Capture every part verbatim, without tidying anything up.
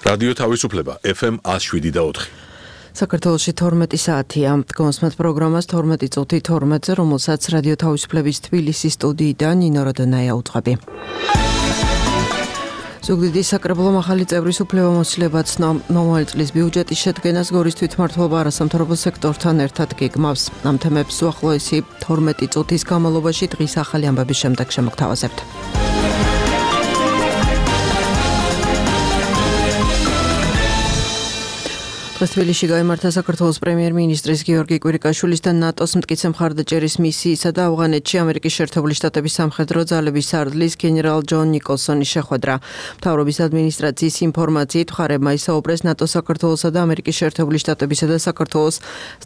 რადიო თავისუფლება ეფ ემ ათს შვიდი და ოთხი. საქართველოში თორმეტი საათია. გონსმათ პროგრამას თორმეტი წუთი თორმეტზე, რომელსაც რადიო თავისუფლების თბილისის სტუდიიდან ნინო როდონაია უძღვები. ზუგდიდის საკრებულომ ახალი წევრის უფლებამოსილება ცნო. მომავალი წლის ბიუჯეტის შედგენას გორის თვითმმართველობა არასამთავრობო სექტორთან ერთად გეგმავს. ამ თემებს უახლოესი თორმეტი წუთის განმავლობაში დღის ახალი ამბების შემდეგ შემოგთავაზებთ. დღეს თბილისში გაიმართა საქართველოს პრემიერ-მინისტრის გიორგი კვირიკაშვილის და ნატოს მტკიცე მხარდაჭერის მისიისა და ავღანეთში ამერიკის შეერთებული შტატების სამხედრო ძალების სარდლის გენერალ ჯონ ნიკოლსონის შეხვედრა. მთავრობის ადმინისტრაციის ინფორმაციით მხარებმა ისაუბრეს ნატოს საქართველოსა და ამერიკის შეერთებული შტატებისა და საქართველოს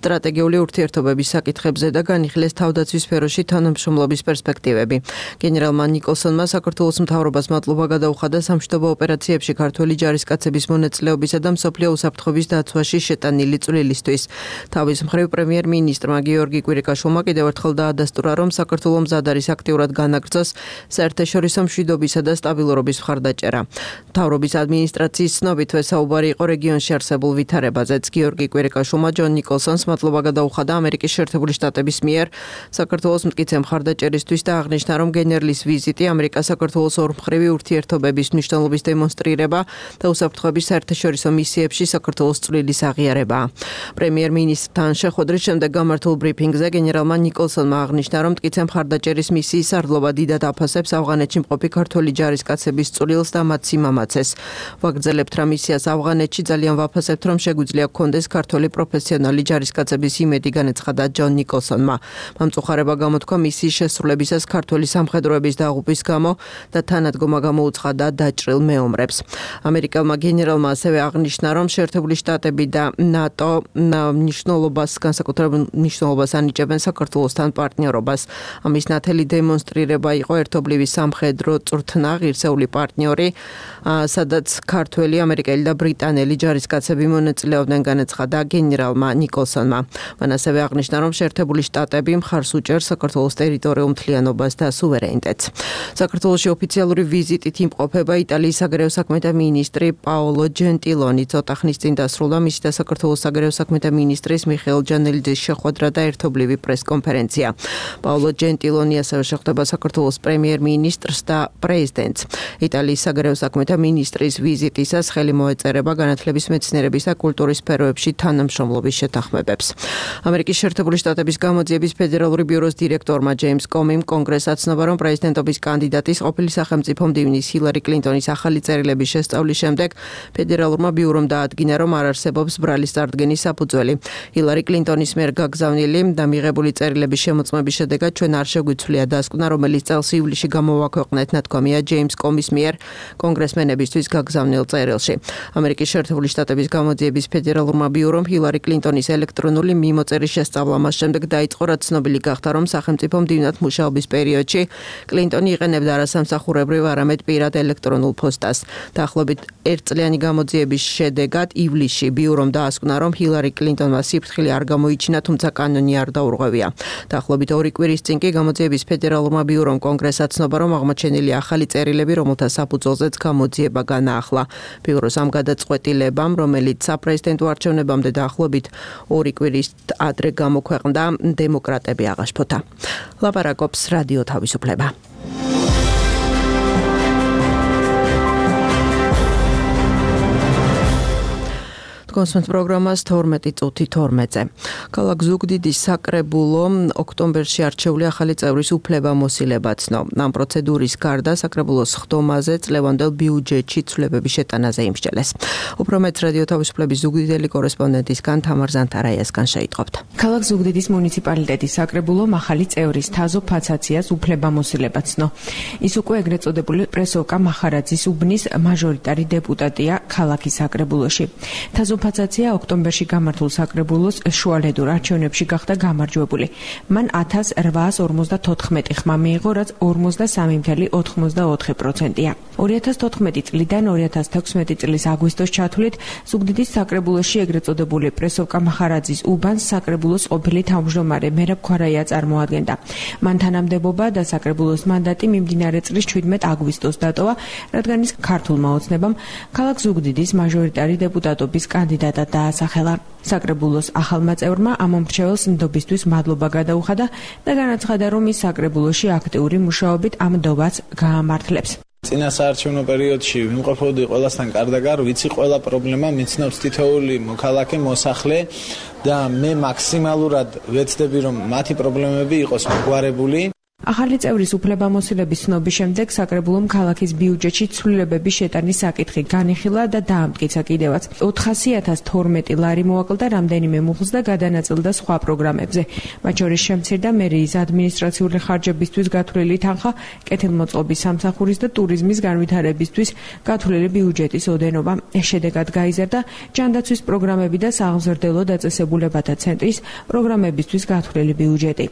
სტრატეგიული ურთიერთობების საკითხებზე და განიხილეს თავდაცვის სფეროში თანამშრომლობის პერსპექტივები. გენერალმა ნიკოლსონმა საქართველოს მთავრობას მადლობა გადაუხადა სამშვიდობო ოპერაციებში ქართველი ჯარისკაცების მონაწილეობისა და მსოფლიო უსაფრთხოების დაცვაში შეტანილი წვლილისთვის. თავის მხრივ პრემიერ-მინისტრმა გიორგი კვირიკაშვილმა კიდევ ერთხელ დაადასტურა, რომ საქართველო მზად არის აქტიურად განაგრძოს საერთაშორისო მშვიდობისა და სტაბილურობის მხარდაჭერა. მთავრობის ადმინისტრაციის ცნობით საუბარი იყო რეგიონში არსებულ ვითარებაზეც. გიორგი კვირიკაშვილმა ჯონ ნიკოლსონს მადლობა გადაუხადა ამერიკის შეერთებული შტატების მიერ საქართველოს მტკიცე მხარდაჭერისთვის და აღნიშნა, რომ გენერლის ვიზიტი ამერიკა-საქართველოს ორმხრივი ურთიერთობების მნიშვნელობის დემონსტრირება და უსაფრთხოების საერთაშორისო მისიებში საქართველოს წვლილი აღიარება. პრემიერ-მინისტრთან შეხვედრის შემდეგ გამართულ ბრიფინგზე გენერალმა ნიკოლსონმა აღნიშნა, რომ მტკიცე მხარდაჭერის მისიის სარდლობა დიდად აფასებს ავღანეთში მყოფი ქართველი ჯარისკაცების წვლილს და მათ სიმამაცეს. ვაგრძელებთ რა მისიას ავღანეთში, ძალიან ვაფასებთ, რომ შეგვიძლია გქონდეს ქართველი პროფესიონალი ჯარისკაცების იმედი, განაცხადა ჯონ ნიკოლსონმა. მამწუხარება გამოთქვა მისიის შესრულებისას ქართველი სამხედროების დაღუპვის გამო და თანადგომა გამოუცხადა დაჭრილ მეომრებს. ამერიკელმა გენერალმა ასევე აღნიშნა, რომ შეერთებული შტატები და ნატო მნიშვნელობას განსაკუთრებულ მნიშვნელობას ანიჭებენ საქართველოსთან პარტნიორობას. ამის ნათელი დემონსტრირება იყო ერთობლივი სამხედრო წვრთნა ღირსეული პარტნიორი, სადაც ქართველი, ამერიკელი და ბრიტანელი ჯარისკაცები მონაწილეობდნენ, განაცხადა გენერალმა ნიკოლსონმა. მან ასევე აღნიშნა, რომ შეერთებული შტატები მხარს უჭერს საქართველოს ტერიტორიულ მთლიანობას და სუვერენიტეტს. საქართველოში ოფიციალური ვიზიტით იმყოფება იტალიის საგარეო საქმეთა მინისტრი პაოლო ჯენტილონი. ცოტა ხნის წინ დასრულდა მისი და საქართველოს საგარეო საქმეთა მინისტრის მიხეილ ჯანელიძის შეხვედრა და ერთობლივი პრეს-კონფერენცია. პაოლო ჯენტილონი ასევე შეხვდება საქართველოს პრემიერ-მინისტრს და პრეზიდენტს. იტალიის საგარეო საქმეთა მინისტრის ვიზიტისას ხელი მოეწერება განათლების, მეცნიერების და კულტურის სფეროებში თანამშრომლობის შეთანხმებებს. ამერიკის შეერთებული შტატების გამოძიების ფედერალური ბიუროს დირექტორმა ჯეიმს კომიმ კონგრესს აცნობა, რომ პრეზიდენტობის კანდიდატის ყოფილი სახელმწიფო მდივნის ჰილარი კლინტონის ახალი წერილების შესწავლის შემდეგ ფედერალურმა ბიურომ დაადგინა, რომ არ არსებობს ბრალის წარდგენის საფუძველი. ჰილარი კლინტონის მიერ გაგზავნილი და მიღებული წერილების შემოწმების შედეგად ჩვენ არ შეგვიცვლია დასკვნა, რომელიც წელს ივლისში გამოვაქვეყნეთ, ნათქვამია ჯეიმს კომის მიერ კონგრესმენებისთვის გაგზავნილ წერილში. ამერიკის შეერთებული შტატების გამოძიების ფედერალურმა ბიურომ ჰილარი კლინტონის ელექტრონული მიმოწერის შესწავლა მას შემდეგ დაიწყო, რაც ცნობილი გახდა, რომ სახელმწიფო მდივნად მუშაობის პერიოდში კლინტონი იყენებდა არასამსახურებრივ, არამედ პირად ელექტრონულ ფოსტას. დაახლოებით ერთწლიანი გამოძიების შედეგად ივლისში ბიურომ დაასკვნა, რომ ჰილარი კლინტონმა სიფრთხილე არ გამოიჩინა, თუმცა კანონი არ დაურღვევია. დაახლოებით ორი კვირის წინ კი გამოძიების ფედერალურმა ბიურომ კონგრესს აცნობა, რომ აღმოჩენილი ახალი წერილები, რომელთა საფუძველზეც გამოძიება განაახლა. ბიუროს ამ გადაწყვეტილებამ, რომელიც საპრეზიდენტო არჩევნებამდე დაახლოებით ორი კვირის ადრე გამოქვეყნდა, დემოკრატები აღაშფოთა. ლაპარაკობს რადიო თავისუფლება. გონსმათ პროგრამას თორმეტი წუთი თორმეტზე. ქალაქ ზუგდიდის საკრებულო ოქტომბერში არჩეული ახალი წევრის უფლებამოსილება ცნო. ამ პროცედურის გარდა საკრებულოს ხდომაზე წლევანდელ ბიუჯეტში ცვლილებების შეტანაზე იმსჯელეს. უფრო მეტს რადიო თავისუფლების ზუგდიდელი კორესპონდენტისგან თამარ ზანთარაიასგან შეიტყობთ. ქალაქ ზუგდიდის მუნიციპალიტეტის საკრებულომ ახალი წევრის თაზო ფაცაციას უფლებამოსილება ცნო. ის უკვე ეგრეთ წოდებული პრესოვკა მახარაძის უბნის მაჟორიტარი დეპუტატია ქალაქის საკრებულოში. თაზო ფაცაცია ოქტომბერში გამართულ საკრებულოს შუალედურ არჩევნებში გახდა გამარჯვებული. მან ათას რვაას ორმოცდათოთხმეტი ხმა მიიღო, რაც ორმოცდასამი კoma ოთხმოცდაოთხი პროცენტია. ორი ათას თოთხმეტი წლიდან ორი ათას თექვსმეტი წლის აგვისტოს ჩათვლით ზუგდიდის საკრებულოში ეგრეთ წოდებული პრესოვკა მახარაძის უბანს საკრებულოს ყოფილი თავმჯდომარე მერაბ ქვარაია წარმოადგენდა. მან თანამდებობა და საკრებულოს მანდატი მიმდინარე წლის შვიდმეტ აგვისტოს დატოვა, რადგან ის ქართულმა ოცნებამ ქალაქ ზუგდიდის მაჟორიტარი დეპუტატობის კანდიდატად დაასახელა. საკრებულოს ახალმა წევრმა ამ მომრჩეველს ნდობისთვის მადლობა გადაუხადა და განაცხადა, რომ ის საკრებულოში აქტიური მუშაობით ამ ნდობას გაამართლებს. წინა საარჩევნო პერიოდში ვიმყოფოდი ყველასთან კარდაგარ, ვიცი ყველა პრობლემა მიცნობს თითოეული მოქალაქე, მოსახლე და მე მაქსიმალურად ვეცდები, რომ მათი პრობლემები იყოს მოგვარებული. ახალი წევრის უფლებამოსილების ცნობის შემდეგ საკრებულომ ქალაქის ბიუჯეტში ცვლილებების შეტანის საკითხი განიხილა და დაამტკიცა კიდევაც. ოთხასი ათას თორმეტი ლარი მოაკლდა რამდენიმე მუხლს და გადანაწილდა სხვა პროგრამებზე. მათ შორის შემცირდა მერიის ადმინისტრაციული ხარჯებისთვის გათვლილი თანხა, კეთილმოწყობის სამსახურის და ტურიზმის განვითარებისთვის გათვლილი ბიუჯეტის ოდენობა. შედეგად გაიზარდა ჯანდაცვის პროგრამები და სააღმზრდელო დაწესებულებათა ცენტრის პროგრამებისთვის გათვლილი ბიუჯეტი.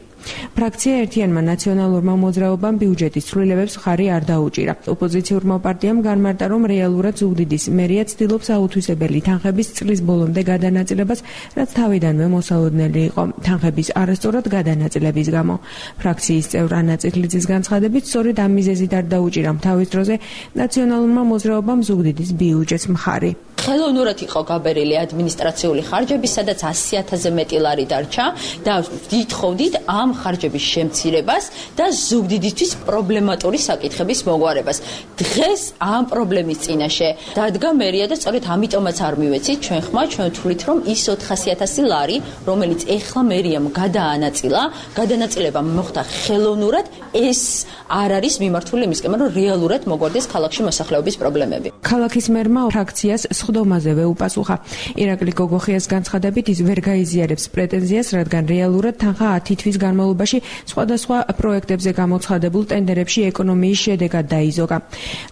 ფრაქცია ერთიანმა ნაციონალურმა მოძრაობამ ბიუჯეტის ცვლილებებს ხარი არ დაუჭირა. ოპოზიციურმა პარტიამ განმარტა, რომ რეალურად ზუგდიდის მერია ცდილობს აუთვისებელი თანხების წლის ბოლომდე გადანაწილებას, რაც თავიდანვე მოსალოდნელი იყო თანხების არასწორად გადანაწილების გამო. ფრაქციის წევრ ანა წიხლიძის განცხადებით, სწორედ ამ მიზეზით არ დაუჭირა თავის დროზე ნაციონალურმა მოძრაობამ ზუგდიდის ბიუჯეტს მხარი. ხელოვნურად იყო გაბერილი ადმინისტრაციული ხარჯები, სადაც ასი ათასზე მეტი ლარი დარჩა და ვითხოვდით ამ ხარჯების შემცირებას და ზუგდიდისთვის პრობლემატური საკითხების მოგვარებას. დღეს ამ პრობლემის წინაშე დადგა მერია და სწორედ ამიტომაც არ მივეცით ჩვენ ხმა, ჩვენ ვთვლით, რომ ის ოთხასი ათასი ლარი, რომელიც ეხლა მერიამ გადაანაწილა, გადანაწილება მოხდა ხელოვნურად, ეს არ არის მიმართული იმისკენ, რომ რეალურად მოგვარდეს ქალაქში მოსახლეობის პრობლემები. ქალაქის მერმა ფრაქციას სხდომაზევე უპასუხა. ირაკლი გოგოხიას განცხადებით, ის ვერ გაიზიარებს პრეტენზიას, რადგან რეალურად თანხა ათი თვის განმავლობაში სხვადასხვა პროექტებზე გამოცხადებულ ტენდერებში ეკონომიის შედეგად დაიზოგა.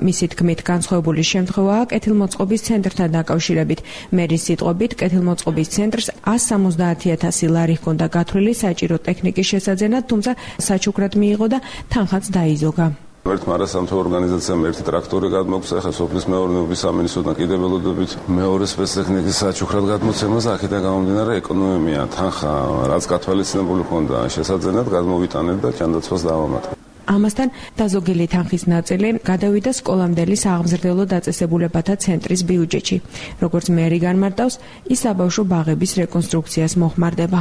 მისი თქმით, განსხვავებული შემთხვევაა კეთილმოწყობის ცენტრთან დაკავშირებით. მერის სიტყვებით, კეთილმოწყობის ცენტრს ასი სამოცდაათი ათასი ლარი ჰქონდა გათვლილი საჭირო ტექნიკის შესაძენად, თუმცა საჩუქრად მიიღო და თანხაც დაიზოგა. ერთმა არასამთავრობო ორგანიზაციამ ერთი ტრაქტორი გადმოგვცა, ახლა სოფლის მეურნეობის სამინისტროდან კიდევ ველოდებით მეორე სპეცტექნიკის საჩუქრად გადმოცემას, აქედან გამომდინარე ეკონომია თანხა, რაც გათვალისწინებული ჰქონდა შესაძენად, გადმოვიტანეთ და ჯანდაცვას დავამატეთ. ამასთან დაზოგილი თანხის ნაწილი გადავიდა სკოლამდელი სააღმზრდელო დაწესებულებათა ცენტრის ბიუჯეტში. როგორც მერი განმარტავს, ის საბავშვო ბაღების რეკონსტრუქციას მოხმარდება.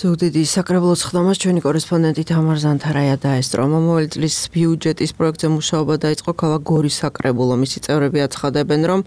ზუგდიდის საკრებულოს ხდომას ჩვენი კორესპონდენტი თამარ ზანთარაია დაესწრო. მომავალი წლის ბიუჯეტის პროექტზე მუშაობა დაიწყო ქალაქ გორის საკრებულო. მისი წევრები აცხადებენ, რომ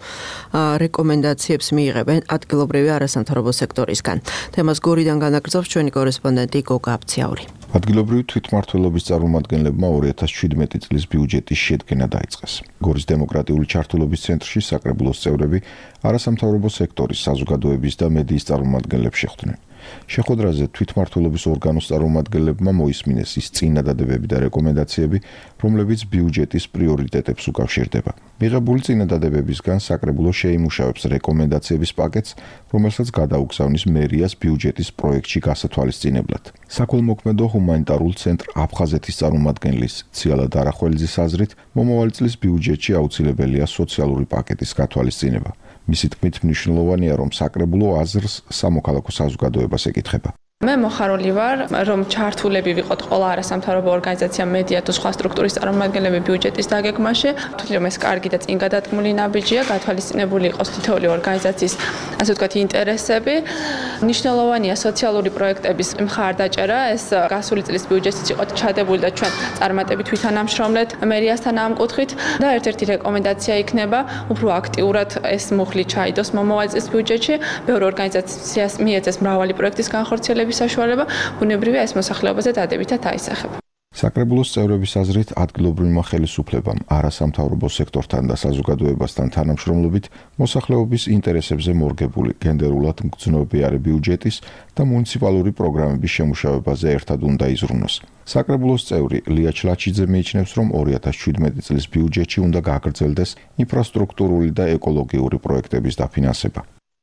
რეკომენდაციებს მიიღებენ ადგილობრივი არასამთავრობო სექტორისგან. თემას გორიდან განაგრძობს ჩვენი კორესპონდენტი გოგა აბციაური. ადგილობრივი თვითმმართველობის წარმომადგენლებმა ორი ათას შვიდმეტი წლის ბიუჯეტის შედგენა დაიწყეს. გორის დემოკრატიული ჩართულობის ცენტრში საკრებულოს წევრები არასამთავრობო სექტორის, საზოგადოების და მედიის წარმომადგენლებს შეხვდნენ. შეხვედრაზე თვითმმართველობის ორგანოს წარმომადგენლებმა მოისმინეს ის წინადადებები და რეკომენდაციები, რომლებიც ბიუჯეტის პრიორიტეტებს უკავშირდება. მიღებული წინადადებებისგან საკრებულო შეიმუშავებს რეკომენდაციების პაკეტს, რომელსაც გადაუგზავნის მერიას ბიუჯეტის პროექტში გასათვალისწინებლად. საქველმოქმედო ჰუმანიტარულ ცენტრ აფხაზეთის წარმომადგენლის ციალა დარახველიძის აზრით, მომავალი წლის ბიუჯეტში აუცილებელია სოციალური პაკეტის გათვალისწინება. მისი თქმით, მნიშვნელოვანია, რომ საკრებულო აზრს სამოქალაქო საზოგადოებას ეკითხება. მე მოხარული ვარ, რომ ჩართულები ვიყოთ ყველა არასამთავრობო ორგანიზაცია, მედია თუ სხვა სტრუქტურის წარმომადგენლები ბიუჯეტის დაგეგმაში. თვითონ რომ ეს კარგი და წინ გადადგმული ნაბიჯია, გათვალისწინებული იყოს თითოეული ორგანიზაციის, ასე ვთქვათ, ინტერესები. მნიშვნელოვანია სოციალური პროექტების მხარდაჭერა, ეს გასული წლის ბიუჯეტიც იყო ჩადებული და ჩვენ წარმატებით ვითანამშრომლეთ მერიასთან ამ კუთხით და ერთ-ერთი რეკომენდაცია იქნება, უფრო აქტიურად ეს მუხლი ჩაიდოს მომავალი წლის ბიუჯეტში. ბევრი ორგანიზაციას მიეცეს მრავალი პროექტის განხორციელება საშუალება, ბუნებრივია ეს მოსახლეობაზე დადებითად აისახება. საკრებულოს წევრების აზრით, ადგილობრივმა ხელისუფლებამ არასამთავრობო სექტორთან და საზოგადოებასთან თანამშრომლობით მოსახლეობის ინტერესებზე მორგებული გენდერულად მგრძნობიარე ბიუჯეტის და მუნიციპალური პროგრამების შემუშავებაზე ერთად უნდა იზრუნოს. საკრებულოს წევრი ლია ჩლაჩიძე მიიჩნევს, რომ ორი ათას შვიდმეტი წლის ბიუჯეტში უნდა გაგრძელდეს ინფრასტრუქტურული და ეკოლოგიური პროექტების დაფინანსება.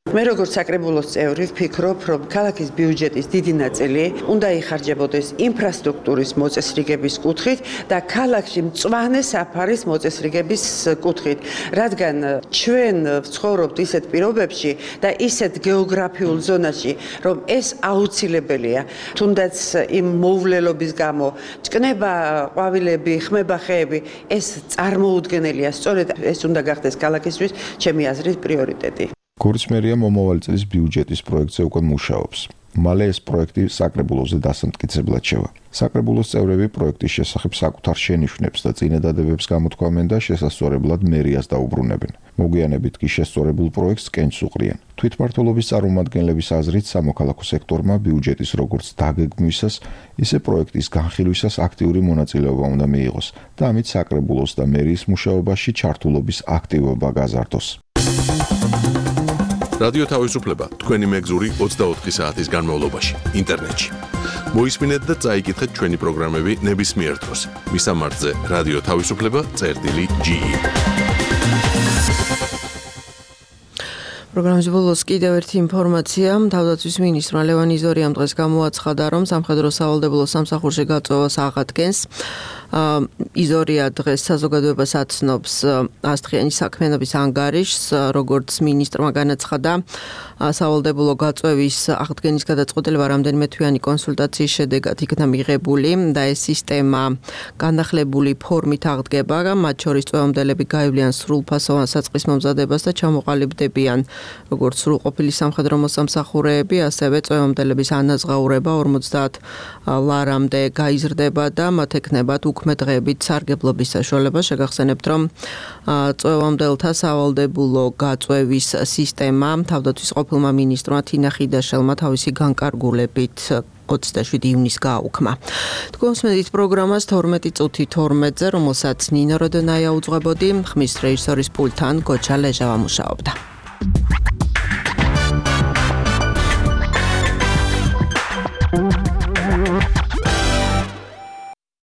მე როგორც საკრებულოს წევრი ვფიქრობ, რომ ქალაქის ბიუჯეტის დიდი ნაწილი უნდა იხარჯებოდეს ინფრასტრუქტურის მოწესრიგების კუთხით და ქალაქში მწვანე საფარის მოწესრიგების კუთხით, რადგან ჩვენ ვცხოვრობთ ისეთ პირობებში და ისეთ გეოგრაფიულ ზონაში, რომ ეს აუცილებელია, თუნდაც იმ მოვლელობის გამო, ჭკნება ყვავილები, ხმება ხეები, ეს წარმოუდგენელია, სწორედ ეს უნდა გახდეს ქალაქისთვის ჩემი აზრით პრიორიტეტი. გორის მერია მომავალი წლის ბიუჯეტის პროექტზე უკვე მუშაობს. მალე ეს პროექტი საკრებულოზე დასამტკიცებლად შევა. საკრებულოს წევრები პროექტის შესახებ საკუთარ შენიშვნებს და წინადადებებს გამოთქვამენ და შესასწორებლად მერიას დაუბრუნებენ. მოგვიანებით კი შესწორებულ პროექტს კენჭს უყრიან. თვითმმართველობის წარმომადგენლების აზრით სამოქალაქო სექტორმა ბიუჯეტის როგორც დაგეგმვისას, ისე პროექტის განხილვისას აქტიური მონაწილეობა უნდა მიიღოს და ამით საკრებულოს და მერიის მუშაობაში ჩართულობის აქტივობა გაზარდოს. რადიო თავისუფლება თქვენი მეგზური ოცდაოთხი საათის განმავლობაში ინტერნეტში. მოისმინეთ და წაიკითხეთ ჩვენი პროგრამები ნებისმიერ დროს. მისამართზე რადიო თავისუფლება წერტილი ჯი ი. პროგრამის ბოლოს კიდევ ერთი ინფორმაცია. თავდაცვის მინისტრმა ლევან იზორიამ დღეს გამოაცხადა, რომ სამხედრო სავალდებულო სამსახურში გაწვევას აღადგენს. იზორია დღეს საზოგადოებას აცნობს ასტრიანი საქმიანობის ანგარიშს, როგორც მინისტრმა განაცხადა, სავალდებულო გაწვევის აღდგენის გადაწყვეტილება რამდენიმე თვიანი კონსულტაციის შედეგად იქნა მიღებული და ეს სისტემა განახლებული ფორმით აღდგება, მათ შორის წვევამდელები გაივლიან სრულფასოვან საწყის მომზადებას და ჩამოყალიბდებიან როგორც სრულყოფილი სამხედრო მოსამსახურეები, ასევე წვევამდელების ანაზღაურება ორმოცდაათ ლარამდე გაიზრდება და მათ ექნებათ უქმე დღეებით სარგებლობის საშუალება. შეგახსენებთ, რომ წვევამდელთა სავალდებულო გაწვევის სისტემა თავდაცვის ყოფილმა მინისტრმა თინა ხიდაშელმა თავისი განკარგულებით ოცდაშვიდი ივნისს გააუქმა. თქვენს მედიის პროგრამას თორმეტი წუთი თორმეტზე, რომელსაც ნინო როდონაია უძღვებოდი, ხმის რეჟისორის პულტთან გოჩა ლეჟავა მუშაობდა.